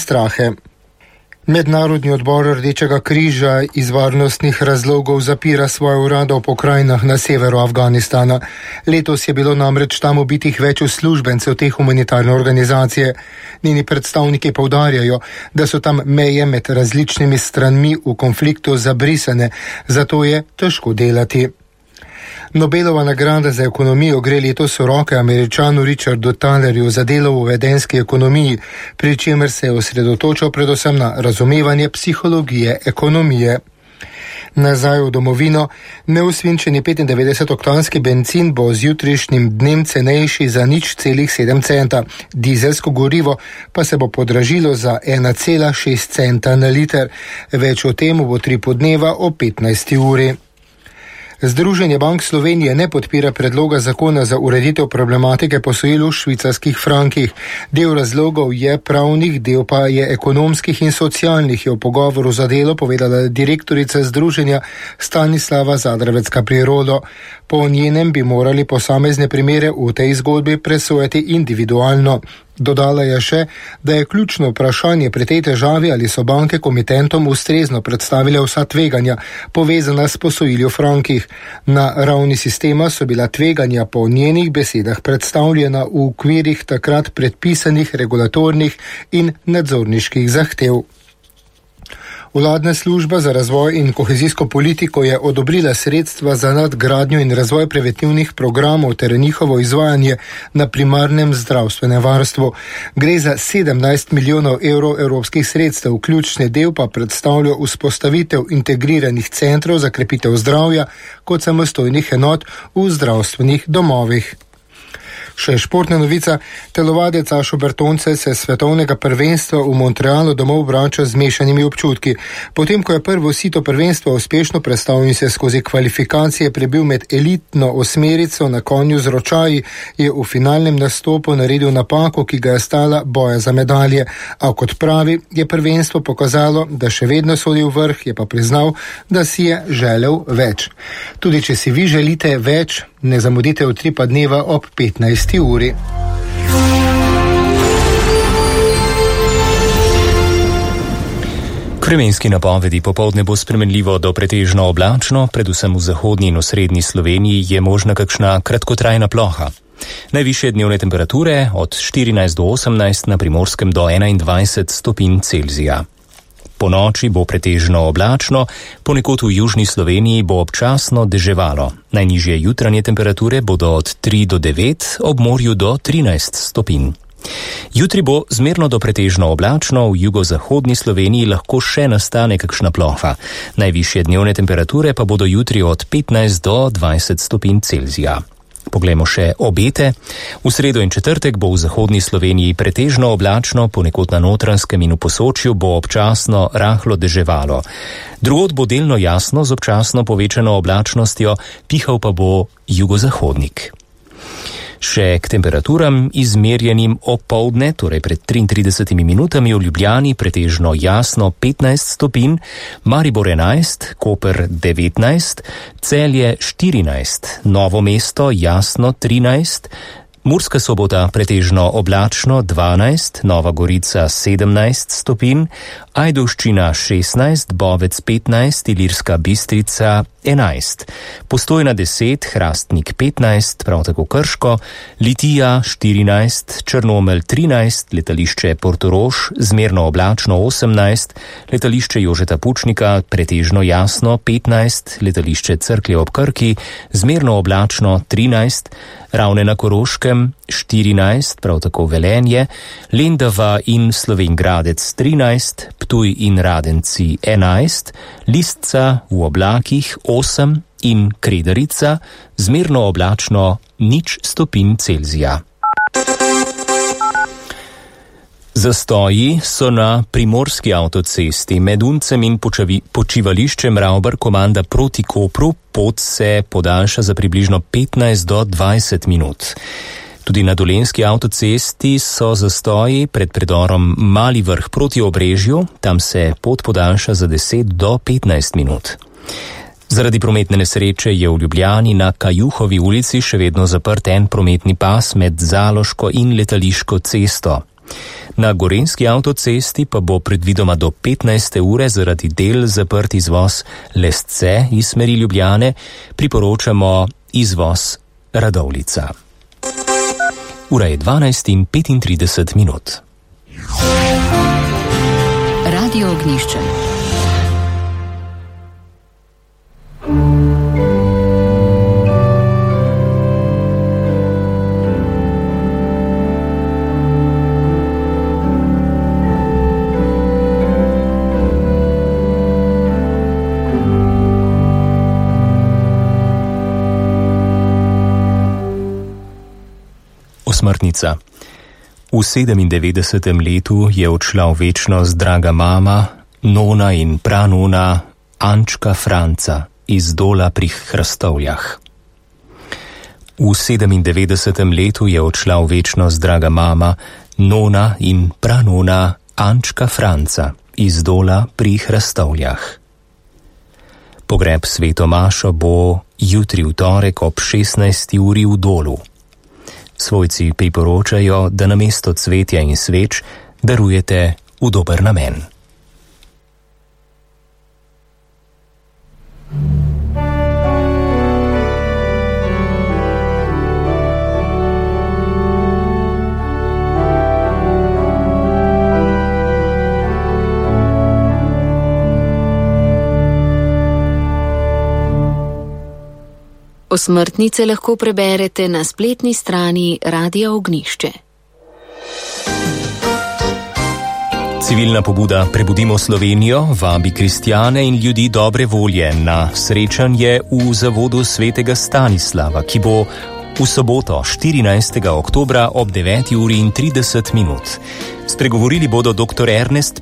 strahe. Mednarodni odbor Rdečega križa iz varnostnih razlogov zapira svoje urade v pokrajinah na severu Afganistana. Letos je bilo namreč tam ubitih več uslužbencev te humanitarne organizacije. Njeni predstavniki poudarjajo, da so tam meje med različnimi stranmi v konfliktu zabrisane, zato je težko delati. Nobelova nagrada za ekonomijo gre letos v roke Američanu Richardu Thalerju za delo v vedenski ekonomiji, pri čemer se je osredotočil predvsem na razumevanje psihologije ekonomije. Nazaj v domovino, neusvinčeni 95-oktanski bencin bo z jutrišnjim dnem cenejši za 0,7 centa, dizelsko gorivo pa se bo podražilo za 1,6 centa na liter. Več o tem bo 3 podneva o 15. uri. Združenje bank Slovenije ne podpira predloga zakona za ureditev problematike posojil v švicarskih frankih. Del razlogov je pravnih, del pa je ekonomskih in socialnih, je v pogovoru za Delo povedala direktorica združenja Stanislava Zadravecka-Prirodo. Po njenem bi morali posamezne primere v tej zgodbi presojati individualno. Dodala je še, da je ključno vprašanje pri tej težavi, ali so banke komitentom ustrezno predstavile vsa tveganja, povezana s posojili v frankih. Na ravni sistema so bila tveganja po njenih besedah predstavljena v okvirih takrat predpisanih regulatornih in nadzorniških zahtev. Vladna služba za razvoj in kohezijsko politiko je odobrila sredstva za nadgradnjo in razvoj preventivnih programov ter njihovo izvajanje na primarnem zdravstvenem varstvu. Gre za 17 milijonov evrov evropskih sredstev, ključni del pa predstavlja vzpostavitev integriranih centrov za krepitev zdravja kot samostojnih enot v zdravstvenih domovih. Še športna novica, telovadec Ašo Bertoncelj se svetovnega prvenstva v Montrealu domov vrača z mešanimi občutki. Potem, ko je prvo sito prvenstva uspešno predstavil in se skozi kvalifikacije prebil med elitno osmerico na konju z ročaji, je v finalnem nastopu naredil napako, ki ga je stala boja za medalje. A kot pravi, je prvenstvo pokazalo, da še vedno sodi v vrh, je pa priznal, da si je želel več. Tudi če si vi želite več, ne zamudite utripa dneva ob 15. uri. Vremenski napovedi: popoldne bo spremenljivo do pretežno oblačno, predvsem v zahodni in osrednji Sloveniji je možna kakšna kratkotrajna ploha. Najvišje dnevne temperature od 14 do 18, na Primorskem do 21 stopinj Celzija. Po noči bo pretežno oblačno, ponekod v južni Sloveniji bo občasno deževalo. Najnižje jutranje temperature bodo od 3 do 9, ob morju do 13 stopinj. Jutri bo zmerno do pretežno oblačno, v jugozahodni Sloveniji lahko še nastane kakšna ploha. Najvišje dnevne temperature pa bodo jutri od 15 do 20 stopinj Celzija. Poglejmo še obete. V sredo in četrtek bo v zahodni Sloveniji pretežno oblačno, ponekod na Notranjskem in v Posočju bo občasno rahlo deževalo. Drugod bo delno jasno z občasno povečano oblačnostjo, pihal pa bo jugozahodnik. Še k temperaturam izmerjenim opoldne, torej pred 33 minutami v Ljubljani pretežno jasno 15 stopinj, Maribor 11, Koper 19, Celje 14, Novo mesto jasno 13, Murska Sobota pretežno oblačno 12, Nova Gorica 17 stopinj, Ajdovščina 16, Bovec 15, Ilirska Bistrica 11, Postojna 10, Hrastnik 15, prav tako Krško, Litija 14, Črnomelj 13, letališče Portorož zmerno oblačno 18, letališče Jožeta Pučnika pretežno jasno 15, letališče Cerklje ob Krki zmerno oblačno 13, Ravne na Koroškem 14, prav tako Velenje, Lendava in Slovenj Gradec 13, Ptuj in Radenci 11, Listca v oblakih 8 in Kredarica zmerno oblačno 0 stopinj Celzija. Zastoji so na primorski avtocesti med Uncem in počivališčem Ravbar komanda proti Kopru, pot se podaljša za približno 15 do 20 minut. Tudi na dolenjski avtocesti so zastoji pred predorom Mali Vrh proti Obrežju, tam se pot podaljša za 10 do 15 minut. Zaradi prometne nesreče je v Ljubljani na Kajuhovi ulici še vedno zaprt en prometni pas med Zaloško in Letališko cesto. Na Gorenjski avtocesti pa bo predvidoma do 15. ure zaradi del zaprt izvoz Lesce iz smeri Ljubljane, priporočamo izvoz Radovljica. Ura je 12:35. Radio Ognjišče. Osmrtnica. V 97. letu je odšla v večnost draga mama, nona in pranona Ančka Franca iz Dola pri Hrastovljah. V 97. letu je odšla v večnost draga mama, nona in pranona Ančka Franca iz Dola pri Hrastovljah. Pogreb sveto mašo bo jutri v torek ob 16. uri v Dolu. Svojci priporočajo, da namesto cvetja in sveč darujete v dober namen. Osmrtnice lahko preberete na spletni strani Radia Ognjišče. Civilna pobuda Prebudimo Slovenijo vabi kristjane in ljudi dobre volje na srečanje v zavodu svetega Stanislava, ki bo v soboto 14. oktobra ob 9:30. Spregovorili bodo dr. Ernest